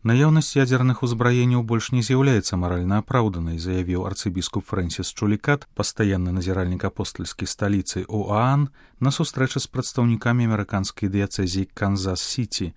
Наяўнасць ядерных узбраенняў больш не з'яўляецца маральна апраўданай, заявіў арцыбіскуп Фрэнсіс Чулікат, пастаянны назіральнік апостальскай сталіцы ОАН, на сустрэчы з прадстаўнікамі амерыканскай дыяцэзіі Канзас-Сіці.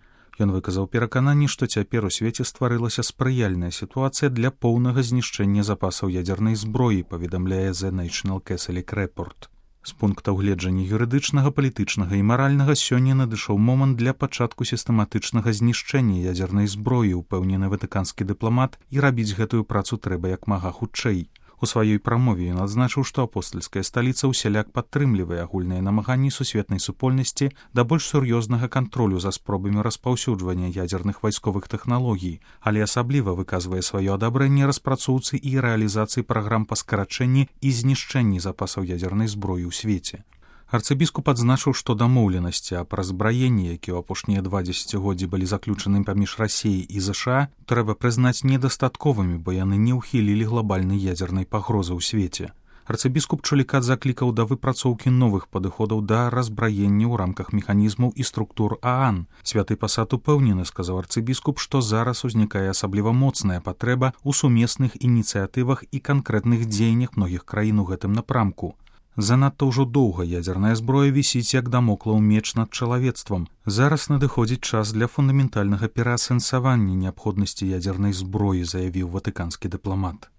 Ён выказаў перакананне, што цяпер у свеце стварылася спрыяльная сітуацыя для поўнага знішчэння запасаў ядзернай зброі, паведамляе The National Catholic Report. З пункта гледжання юрыдычнага, палітычнага і маральнага сёння надышоў момант для пачатку сістэматычнага знішчэння ядзернай зброі, упэўнены ватыканскі дыпламат, і рабіць гэтую працу трэба як мага хутчэй. У сваёй прамове ён адзначыў, што апостальская сталіца ўсяляк падтрымлівае агульныя намаганні сусветнай супольнасці да больш сур'ёзнага кантролю за спробамі распаўсюджвання ядзерных вайсковых тэхналогій, але асабліва выказвае сваё адабрэнне распрацоўцы і рэалізацыі праграм па скарачэнні і знішчэнні запасаў ядзернай зброі ў свеце. Арцыбіскуп адзначыў, што дамоўленасці аб разбраенні, якія ў апошнія 2 дзесяцігоддзі былі заключаны паміж Расіяй і ЗША, трэба прызнаць недастатковымі, бо яны не ўхілілі глобальнай ядзернай пагрозы ў свеце. Арцыбіскуп Чулікат заклікаў да выпрацоўкі новых падыходаў да разбраення ў рамках механізмаў і структур ААН. Святы пасад упэўнены, сказаў арцыбіскуп, што зараз узнікае асабліва моцная патрэба ў сумесных ініцыятывах і канкрэтных дзеяннях многіх краін у гэтым напрамку. Занадта ўжо доўга ядзерная зброя вісіць як дамоклаў меч над чалавецтвам. Зараз надыходзіць час для фундаментальнага пераасэнсавання неабходнасці ядзернай зброі, заявіў ватыканскі дыпламат.